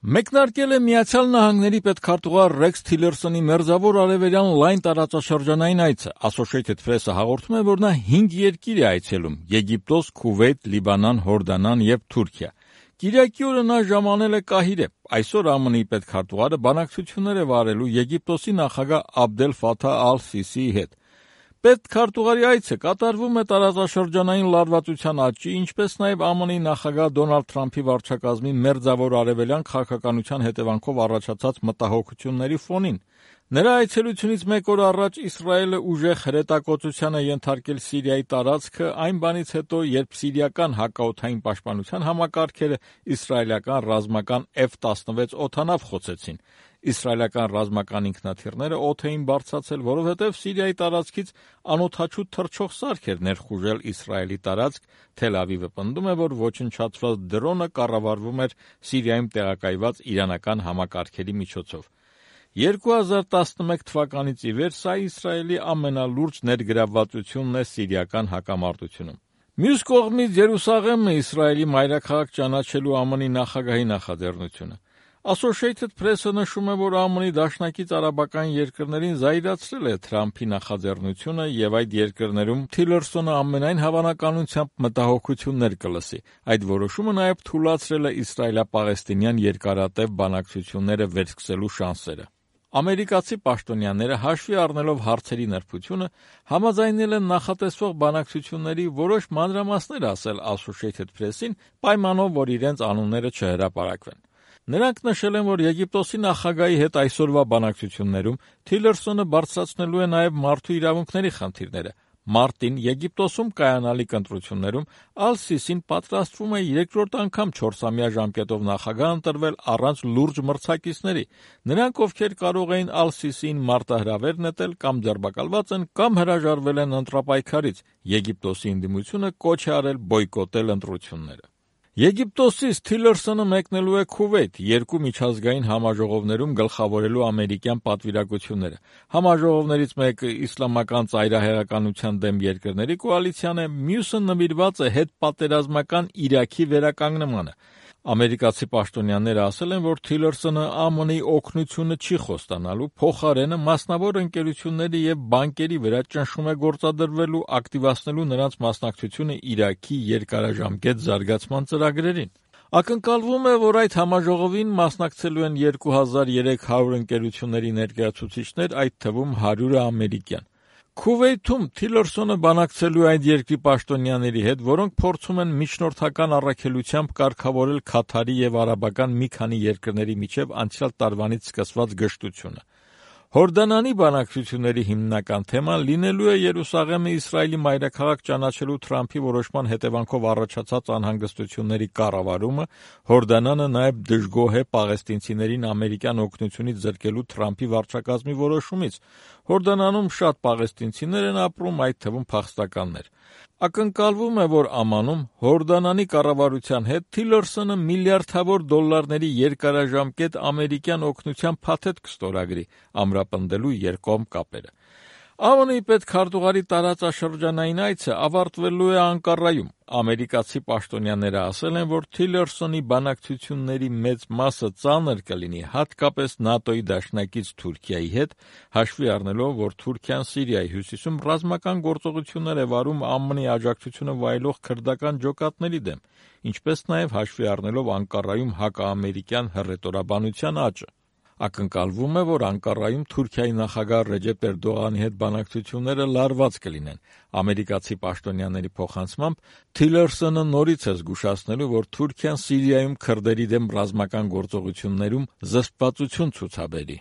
Մեկնարկել է Միացյալ Նահանգների պետքարտուղար Ռեքս Թիլերսոնի մերձավոր արևելյան լայն տարածաշրջանային այցը։ Associated Press-ը հաղորդում է, որ նա 5 երկիր է այցելում՝ Եգիպտոս, Քուվեյթ, Լիբանան, Հորդանան եւ Թուրքիա։ Կիրակի օրը նա ժամանել է Կահիրե։ Այսօր ԱՄՆ-ի պետքարտուղարը բանակցություններ է վարելու Եգիպտոսի նախագահ Աբդել Ֆաթահ ալ-Սիսիի հետ։ Պետքարտուղարի այցը կատարվում է տարածաշրջանային լարվածության աճի, ինչպես նաև ԱՄՆ-ի նախագահ Դոնալդ Թրամփի վարչակազմի մերձավոր արևելյան քաղաքականության հետևանքով առաջացած մտահոգությունների ֆոնին։ Նրա այցելությունից մեկ օր առաջ Իսրայելը ուժեղ հրետակոծության է ենթարկել Սիրիայի տարածքը այն բանից հետո, երբ սիրիական հակաօդային պաշտպանության համակարգերը իսրայելական ռազմական F-16 օդանավ խոցեցին։ Իսրայելական ռազմական ինքնաթիռները օդ էին բարձրացել, որովհետև Սիրիայի տարածքից անօդաչու թռչող սարք էր ներխուժել Իսրայելի տարածք։ Թել Ավիվը պնդում է, որ ոչնչացված դրոնը կառավարվում էր Սիրիայում տեղակայված իրանական համակարգերի միջոցով։ 2011 թվականից ի վեր սա Իսրայելի ամենալուրջ ներգրավվածությունն է սիրիական հակամարտությունում։ Մյուս կողմից Երուսաղեմը Իսրայելի մայրաքաղաք ճանաչելու ԱՄՆ-ի նախագահի նախաձեռնությունը։ Associated Press-ը նշում է, որ ԱՄՆ-ի դաշնակից արաբական երկրներին զայրացրել է Թրամփի նախաձեռնությունը եւ այդ երկրներում Թիլերսոնը ամենայն հավանականությամբ մտահոգություններ կլսի։ Այդ որոշումը նաեւ թուլացրել է իսրայելա-պաղեստինյան երկարատև բանակցությունները վերսկսելու շանսերը։ Ամերիկացի պաշտոնյաները հաշվի առնելով հարցերի նրբությունը համաձայնել են նախատեսվող բանակցությունների որոշ մանրամասներ ասել Associated Press-ին, պայմանով, որ իրենց անունները չհրապարակվեն։ Նրանք նշել են, որ Եգիպտոսի նախագահի հետ այսօրվա բանակցություններում Թիլերսոնը բարձրացնելու է նաև մարդու իրավունքների խնդիրները։ Մարտին Եգիպտոսում կայանալիք ընտրություններում ալ-Սիսին պատրաստվում է երկրորդ անգամ 4-ամյա ժամկետով նախագահ ընտրվել առանց լուրջ մրցակիցների։ Նրանք, ովքեր կարող էին ալ-Սիսիին մարտահրավեր նետել կամ ձերբակալված են, կամ հրաժարվել են ընտրապայքարից։ Եգիպտոսի ընդդիմությունը կոչ է արել բոյկոտել ընտրությունները։ Եգիպտոսից Թիլերսոնը մեկնելու է Քուվեյթ 2 միջազգային համաժողովներում գլխավորելու ամերիկյան պատվիրակությունները։ Համաժողովներից մեկը իսլամական ծայրահեղականության դեմ երկրների կոալիցիան է, մյուսը նվիրված է հետպատերազմական Իրաքի վերականգնմանը։ Ամերիկացի պաշտոնյաները ասել են, որ Թիլերսոնը ԱՄՆ-ի օգնությունը չի խոստանալու, փոխարենը մասնավոր ընկերությունների եւ բանկերի վրա ճնշում է գործադրվելու, ակտիվացնելու նրանց մասնակցությունը Իրաքի երկարաժամկետ զարգացման ծրագրերին։ Ակնկալվում է, որ այդ համաժողովին մասնակցելու են 2300 ընկերությունների ներկայացուցիչներ, այդ թվում 100-ը ամերիկյան։ Քուվեյթում Թիլերսոնը բանակցելու այդ երկրի պաշտոնյաների հետ, որոնք փորձում են միջնորդական առաքելությամբ կարգավորել Քաթարի եւ արաբական մի քանի երկրների միջև անցյալ տարվանից սկսված գժտությունը։ Հորդանանի բանակցությունների հիմնական թեման լինելու է Երուսաղեմը Իսրայելի մայրաքաղաք ճանաչելու Թրամփի որոշման հետևանքով առաջացած անհանգստությունների կառավարումը։ Հորդանանը նաև դժգոհ է պաղեստինցիներին ամերիկյան օգնությունից զրկելու Թրամփի վարչակազմի որոշումից։ Հորդանանում շատ պաղեստինցիներ են ապրում, այդ թվում փախստականներ։ Ակնկալվում է, որ ԱՄՆ-ում Հորդանանի կառավարության հետ Թիլերսոնը միլիարդավոր դոլարների երկարաժամկետ ամերիկյան օգնության փաթեթ կստորագրի, ամրապնդելու երկկողմ կապերը։ ԱՄՆ-ի պետքարտուղարի տարածաշրջանային այցը ավարտվելու է Անկարայում։ Ամերիկացի պաշտոնյաները ասել են, որ Թիլերսոնի բանակցությունների մեծ մասը ծանր կլինի, հատկապես ՆԱՏՕ-ի դաշնակից Թուրքիայի հետ, հաշվի առնելով, որ Թուրքիան Սիրիայի հյուսիսում ռազմական գործողություններ է վարում ԱՄՆ-ի աջակցությունը վայելող քրդական ջոկատների դեմ, ինչպես նաև հաշվի առնելով Անկարայում հակաամերիկյան հռետորաբանության աճը։ Ակնկալվում է, որ Անկարայում Թուրքիայի նախագահ Ռեջեփ Էրդողանի հետ բանակցությունները լարված կլինեն։ Ամերիկացի պաշտոնյաների փոխանցմամբ Թիլերսոնը նորից է զգուշացնելու, որ Թուրքիան Սիրիայում քրդերի դեմ ռազմական գործողություններում զսպվածություն ցուցաբերի։